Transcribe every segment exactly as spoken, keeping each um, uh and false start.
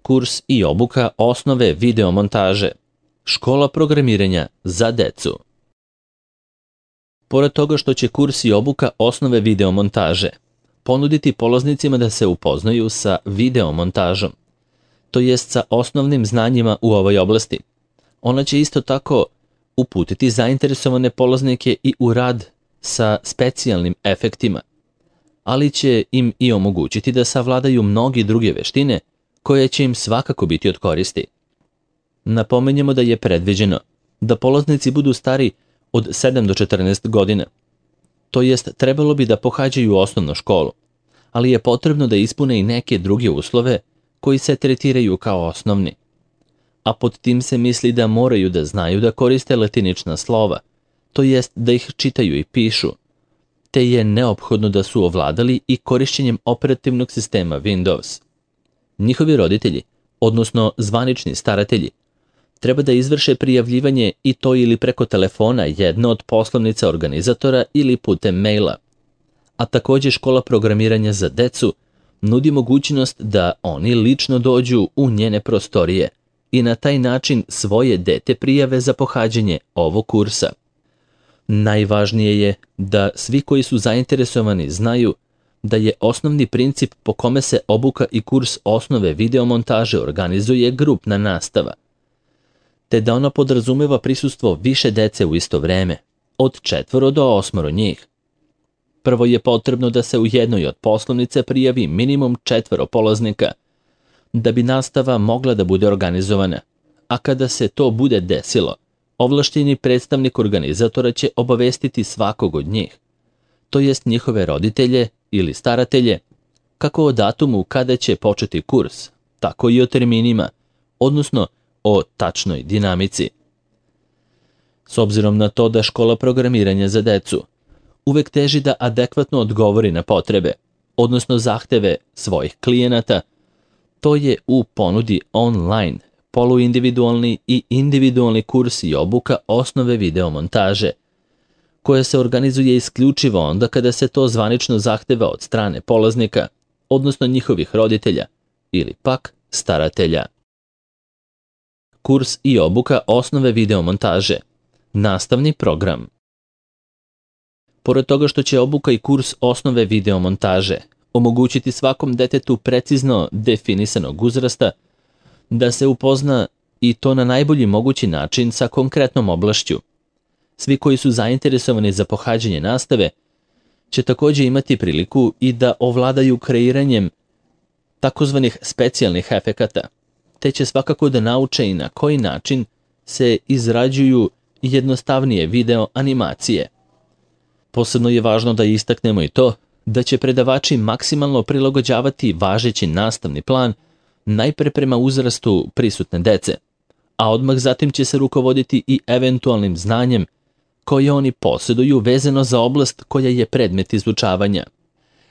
kurs i obuka osnove videomontaže, škola programiranja za decu. Pored toga što će kurs i obuka osnove videomontaže ponuditi polaznicima da se upoznaju sa videomontažom, to jest sa osnovnim znanjima u ovoj oblasti, ona će isto tako uputiti zainteresovane polaznike i u rad sa specijalnim efektima, ali će im i omogućiti da savladaju mnogi druge veštine koje će im svakako biti od koristi. Napomenjemo da je predviđeno da polaznici budu stari od sedam do četrnaest godina, to jest trebalo bi da pohađaju osnovnu školu, ali je potrebno da ispune i neke druge uslove koji se tretiraju kao osnovni. A pod tim se misli da moraju da znaju da koriste latinična slova, to jest da ih čitaju i pišu, te je neophodno da su ovladali i korišćenjem operativnog sistema Windows. Njihovi roditelji, odnosno zvanični staratelji, treba da izvrše prijavljivanje i to ili preko telefona jedne od poslovnica organizatora ili putem maila. A također škola programiranja za decu nudi mogućnost da oni lično dođu u njene prostorije i na taj način svoje dete prijave za pohađanje ovog kursa. Najvažnije je da svi koji su zainteresovani znaju da je osnovni princip po kome se obuka i kurs osnove videomontaže organizuje grupna nastava, te da ona podrazumeva prisustvo više dece u isto vreme, od četvoro do osmoro njih. Prvo je potrebno da se u jednoj od poslovnice prijavi minimum četvoro polaznika, da bi nastava mogla da bude organizovana, a kada se to bude desilo, ovlašteni predstavnik organizatora će obavestiti svakog od njih, to jest njihove roditelje ili staratelje, kako o datumu kada će početi kurs, tako i o terminima, odnosno o tačnoj dinamici. S obzirom na to da škola programiranja za decu uvek teži da adekvatno odgovori na potrebe, odnosno zahteve svojih klijenata, to je u ponudi online, poluindividualni i individualni kurs i obuka osnove videomontaže, koja se organizuje isključivo onda kada se to zvanično zahteva od strane polaznika, odnosno njihovih roditelja ili pak staratelja. Kurs i obuka osnove videomontaže, nastavni program. Pored toga što će obuka i kurs osnove videomontaže omogućiti svakom detetu precizno definisanog uzrasta da se upozna i to na najbolji mogući način sa konkretnom oblašću, svi koji su zainteresovani za pohađanje nastave će također imati priliku i da ovladaju kreiranjem takozvanih specijalnih efekata, te će svakako da nauče i na koji način se izrađuju jednostavnije video animacije. Posebno je važno da istaknemo i to da će predavači maksimalno prilagođavati važeći nastavni plan najpre prema uzrastu prisutne dece, a odmah zatim će se rukovoditi i eventualnim znanjem koje oni posjeduju vezano za oblast koja je predmet izučavanja.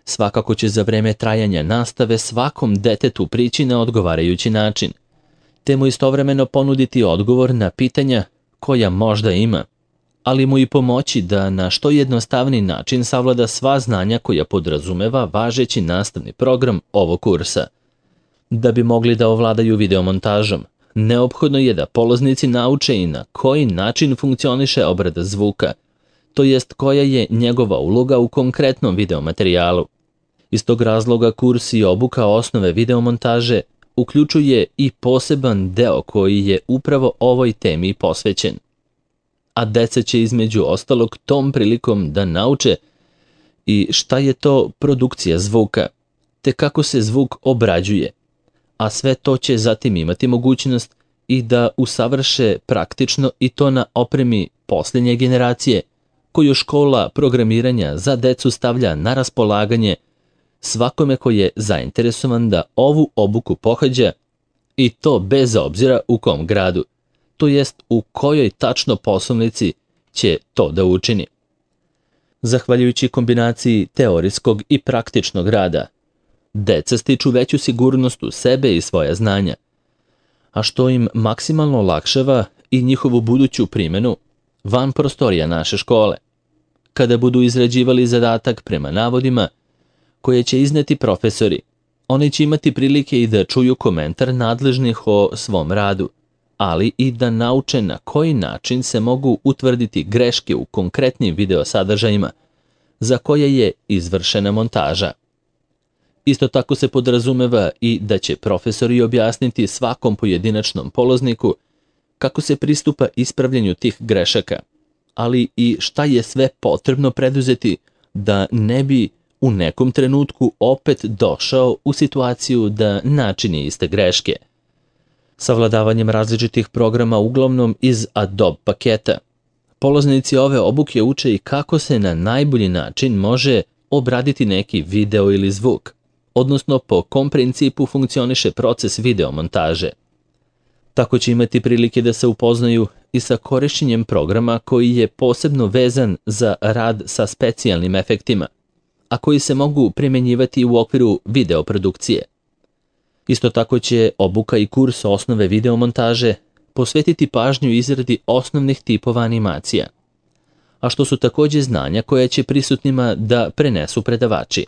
Svakako će za vreme trajanja nastave svakom detetu prići na odgovarajući način, te mu istovremeno ponuditi odgovor na pitanja koja možda ima, ali mu i pomoći da na što jednostavniji način savlada sva znanja koja podrazumeva važeći nastavni program ovog kursa. Da bi mogli da ovladaju videomontažom, neophodno je da polaznici nauče i na koji način funkcioniše obrada zvuka, to jest koja je njegova uloga u konkretnom videomaterijalu. Iz tog razloga kurs i obuka osnove videomontaže uključuje i poseban deo koji je upravo ovoj temi posvećen. A deca će između ostalog tom prilikom da nauče i šta je to produkcija zvuka, te kako se zvuk obrađuje, a sve to će zatim imati mogućnost i da usavrše praktično i to na opremi posljednje generacije, koju škola programiranja za decu stavlja na raspolaganje svakome ko je zainteresovan da ovu obuku pohađa, i to bez obzira u kom gradu, to jest u kojoj tačno poslovnici će to da učini. Zahvaljujući kombinaciji teorijskog i praktičnog rada, deca stiču veću sigurnost u sebe i svoja znanja, a što im maksimalno olakšava i njihovu buduću primjenu van prostorija naše škole, kada budu izrađivali zadatak prema navodima koje će izneti profesori Oni će imati prilike i da čuju komentar nadležnih o svom radu, ali i da nauče na koji način se mogu utvrditi greške u konkretnim video sadržajima za koje je izvršena montaža. Isto tako se podrazumeva i da će profesori objasniti svakom pojedinačnom polazniku kako se pristupa ispravljanju tih grešaka, ali i šta je sve potrebno preduzeti da ne bi u nekom trenutku opet došao u situaciju da načini iste greške. Savladavanjem različitih programa uglavnom iz Adobe paketa, polaznici ove obuke uče i kako se na najbolji način može obraditi neki video ili zvuk, odnosno po kom principu funkcioniše proces video montaže. Tako će imati prilike da se upoznaju i sa korišćenjem programa koji je posebno vezan za rad sa specijalnim efektima, a koji se mogu primjenjivati u okviru videoprodukcije. Isto tako će obuka i kurs osnove videomontaže posvetiti pažnju izradi osnovnih tipova animacija, a što su takođe znanja koja će prisutnima da prenesu predavači.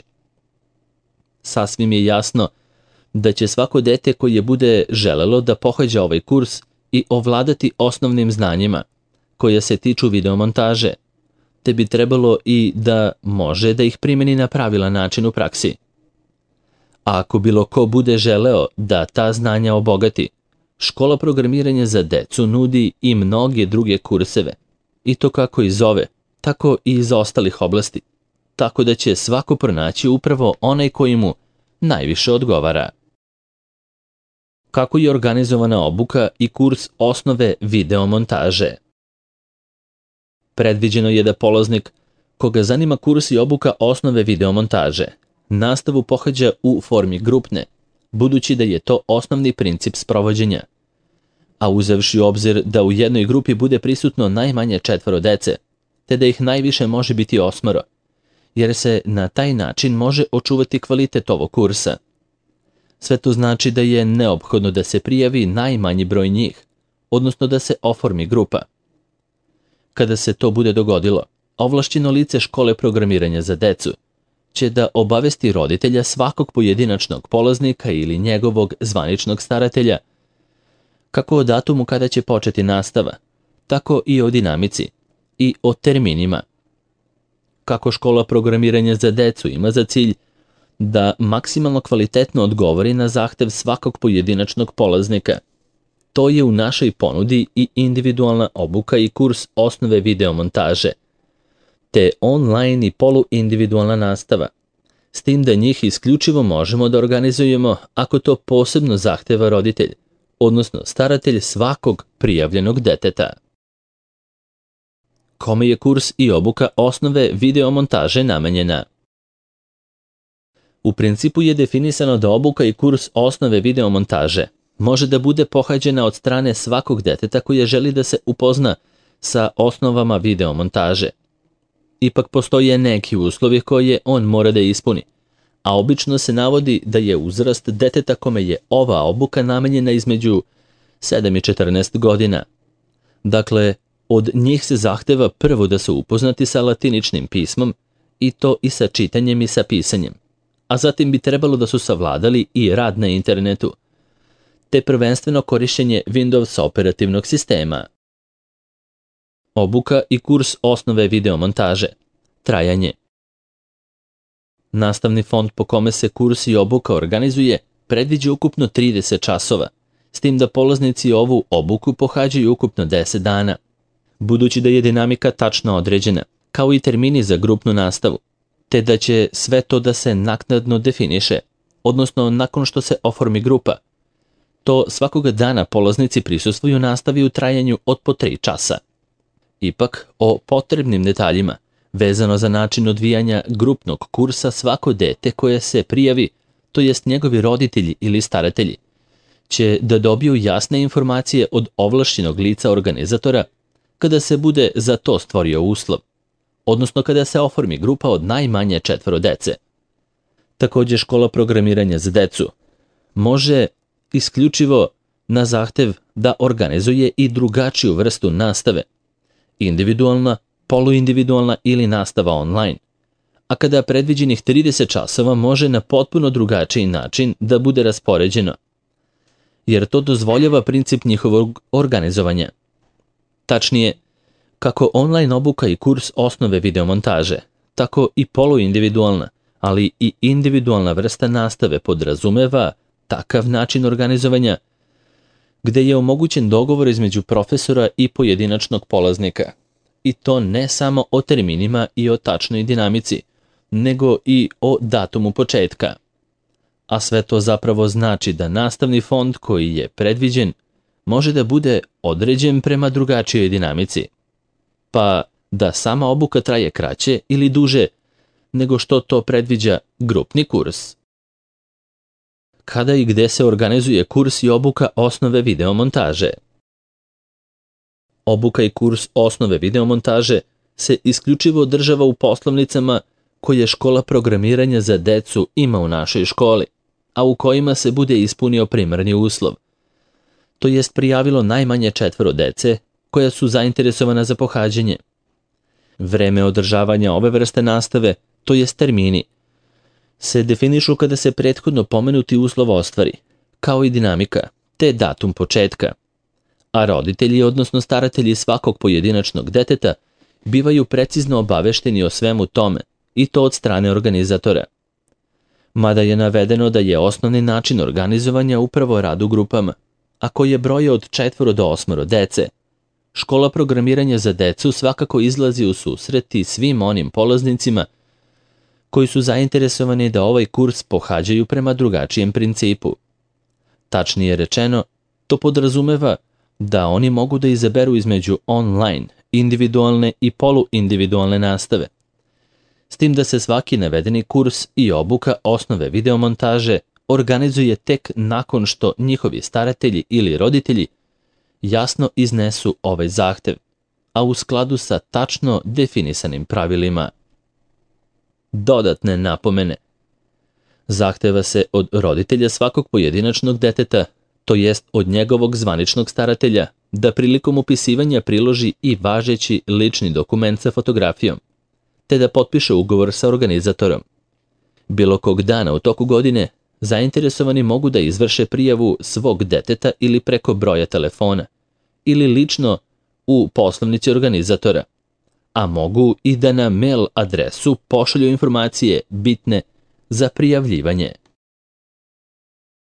Sasvim je jasno da će svako dete koje bude želelo da pohađa ovaj kurs i ovladati osnovnim znanjima koja se tiču videomontaže, te bi trebalo i da može da ih primeni na pravilan način u praksi. A ako bilo ko bude želeo da ta znanja obogati, škola programiranja za decu nudi i mnoge druge kurseve, i to kako iz ove, tako i iz ostalih oblasti, tako da će svako pronaći upravo onaj koji mu najviše odgovara. Kako je organizovana obuka i kurs osnove videomontaže? Predviđeno je da polaznik, koga zanima kurs i obuka osnove videomontaže, nastavu pohađa u formi grupne, budući da je to osnovni princip sprovođenja. A uzevši u obzir da u jednoj grupi bude prisutno najmanje četvoro dece, te da ih najviše može biti osmoro, jer se na taj način može očuvati kvalitet ovog kursa. Sve to znači da je neophodno da se prijavi najmanji broj njih, odnosno da se oformi grupa. Kada se to bude dogodilo, ovlašćeno lice škole programiranja za decu će da obavesti roditelja svakog pojedinačnog polaznika ili njegovog zvaničnog staratelja kako o datumu kada će početi nastava, tako i o dinamici i o terminima. Kako škola programiranja za decu ima za cilj da maksimalno kvalitetno odgovori na zahtev svakog pojedinačnog polaznika, to je u našoj ponudi i individualna obuka i kurs osnove videomontaže, te online i poluindividualna nastava, s tim da njih isključivo možemo da organizujemo ako to posebno zahteva roditelj, odnosno staratelj svakog prijavljenog deteta. Kome je kurs i obuka osnove videomontaže namenjena? U principu je definisano da obuka i kurs osnove videomontaže može da bude pohađena od strane svakog deteta koje želi da se upozna sa osnovama videomontaže. Ipak postoje neki uslovi koje on mora da ispuni, a obično se navodi da je uzrast deteta kome je ova obuka namenjena između sedam i četrnaest godina. Dakle, od njih se zahteva prvo da su upoznati sa latiničnim pismom, i to i sa čitanjem i sa pisanjem, a zatim bi trebalo da su savladali i rad na internetu, te prvenstveno korišćenje Windows operativnog sistema. Obuka i kurs osnove videomontaže. Trajanje. Nastavni fond po kome se kurs i obuka organizuje predviđa ukupno trideset časova, s tim da polaznici ovu obuku pohađaju ukupno deset dana. Budući da je dinamika tačno određena, kao i termini za grupnu nastavu, te da će sve to da se naknadno definiše, odnosno nakon što se oformi grupa, to svakoga dana polaznici prisustvuju nastavi u trajanju od po tri časa. Ipak, o potrebnim detaljima, vezano za način odvijanja grupnog kursa, svako dete koje se prijavi, to jest njegovi roditelji ili staratelji, će da dobiju jasne informacije od ovlašćenog lica organizatora kada se bude za to stvorio uslov, odnosno kada se oformi grupa od najmanje četvoro dece. Takođe, škola programiranja za decu može isključivo na zahtev da organizuje i drugačiju vrstu nastave, individualna, poluindividualna ili nastava online, a kada predviđenih trideset časova može na potpuno drugačiji način da bude raspoređeno, jer to dozvoljava princip njihovog organizovanja. Tačnije, kako online obuka i kurs osnove videomontaže, tako i poluindividualna, ali i individualna vrsta nastave podrazumeva takav način organizovanja gde je omogućen dogovor između profesora i pojedinačnog polaznika. I to ne samo o terminima i o tačnoj dinamici, nego i o datumu početka. A sve to zapravo znači da nastavni fond koji je predviđen može da bude određen prema drugačijoj dinamici, pa da sama obuka traje kraće ili duže nego što to predviđa grupni kurs. Kada i gde se organizuje kurs i obuka osnove videomontaže? Obuka i kurs osnove videomontaže se isključivo održava u poslovnicama koje škola programiranja za decu ima u našoj školi, a u kojima se bude ispunio primarni uslov. To jest prijavilo najmanje četvoro dece koja su zainteresovana za pohađanje. Vreme održavanja ove vrste nastave, to jest termini, se definišu kada se prethodno pomenuti uslov ostvari, kao i dinamika, te datum početka. A roditelji, odnosno staratelji svakog pojedinačnog deteta, bivaju precizno obavešteni o svemu tome, i to od strane organizatora. Mada je navedeno da je osnovni način organizovanja upravo rad u grupama, a koji je broj od četvoro do osmoro dece, škola programiranja za decu svakako izlazi u susret i svim onim polaznicima koji su zainteresovani da ovaj kurs pohađaju prema drugačijem principu. Tačnije rečeno, to podrazumeva da oni mogu da izaberu između online, individualne i poluindividualne nastave, s tim da se svaki navedeni kurs i obuka osnove videomontaže organizuje tek nakon što njihovi staratelji ili roditelji jasno iznesu ovaj zahtev, a u skladu sa tačno definisanim pravilima. Dodatne napomene. Zahteva se od roditelja svakog pojedinačnog deteta, to jest od njegovog zvaničnog staratelja, da prilikom upisivanja priloži i važeći lični dokument sa fotografijom, te da potpiše ugovor sa organizatorom. Bilo kog dana u toku godine, zainteresovani mogu da izvrše prijavu svog deteta ili preko broja telefona, ili lično u poslovnici organizatora, a mogu i da na mail adresu pošalju informacije bitne za prijavljivanje.